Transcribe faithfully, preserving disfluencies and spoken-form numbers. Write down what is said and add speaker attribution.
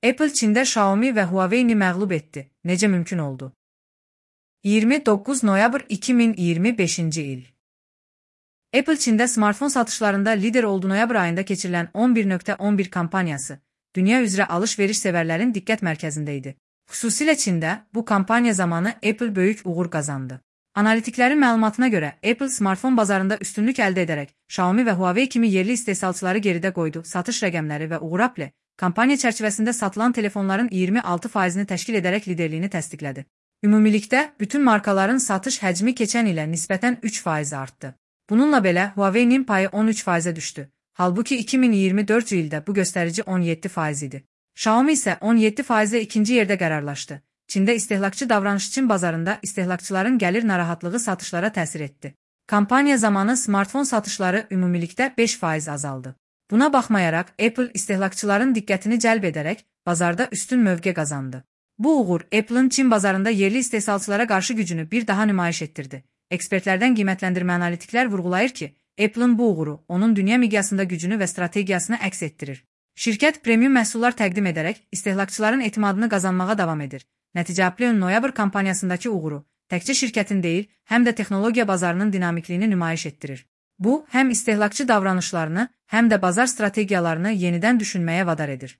Speaker 1: Apple Çində Xiaomi və Huawei-ni məğlub etdi. Necə mümkün oldu? iyirmi doqquz noyabr iki min iyirmi beşinci il. Apple Çində smartfon satışlarında lider oldu. Noyabr ayında keçirilən on bir nöqtə on bir kampaniyası dünya üzrə alış-veriş sevərlərin diqqət mərkəzində idi. Xüsusilə Çində bu kampaniya zamanı Apple böyük uğur qazandı. Analitiklərin məlumatına görə Apple smartfon bazarında üstünlük əldə edərək Xiaomi və Huawei kimi yerli istehsalçıları geridə qoydu. Satış rəqəmləri və uğur Apple kampaniya çərçivəsində satılan telefonların iyirmi altı faizini təşkil edərək liderliyini təsdiqlədi. Ümumilikdə bütün markaların satış həcmi keçən ilə nisbətən üç faiz artdı. Bununla belə Huawei-nin payı on üç faizə düşdü. Halbuki iki min iyirmi dördüncü ildə bu göstərici on yeddi faiz idi. Xiaomi isə on yeddi faizlə ikinci yerdə qərarlaşdı. Çində istehlakçı davranış Çin bazarında istehlakçıların gəlir narahatlığı satışlara təsir etdi. Kampaniya zamanı smartfon satışları ümumilikdə beş faiz azaldı. Buna baxmayaraq Apple istehlakçıların diqqətini cəlb edərək bazarda üstün mövqe qazandı. Bu uğur Apple'ın Çin bazarında yerli istehsalçılara qarşı gücünü bir daha nümayiş etdirdi. Ekspertlərdən qiymətləndirmə analitiklər vurğulayır ki, Apple'ın bu uğuru onun dünya miqyasında gücünü və strategiyasını əks etdirir. Şirkət premium məhsullar təqdim edərək istehlakçıların etimadını qazanmağa davam edir. Nəticə Apple'ın noyabr kampaniyasındakı uğuru təkcə şirkətin deyil, həm də texnologiya bazarının dinamikliyini nümayiş etdirir. Bu, həm istehlakçı davranışlarını, həm də bazar strategiyalarını yenidən düşünməyə vadar edir.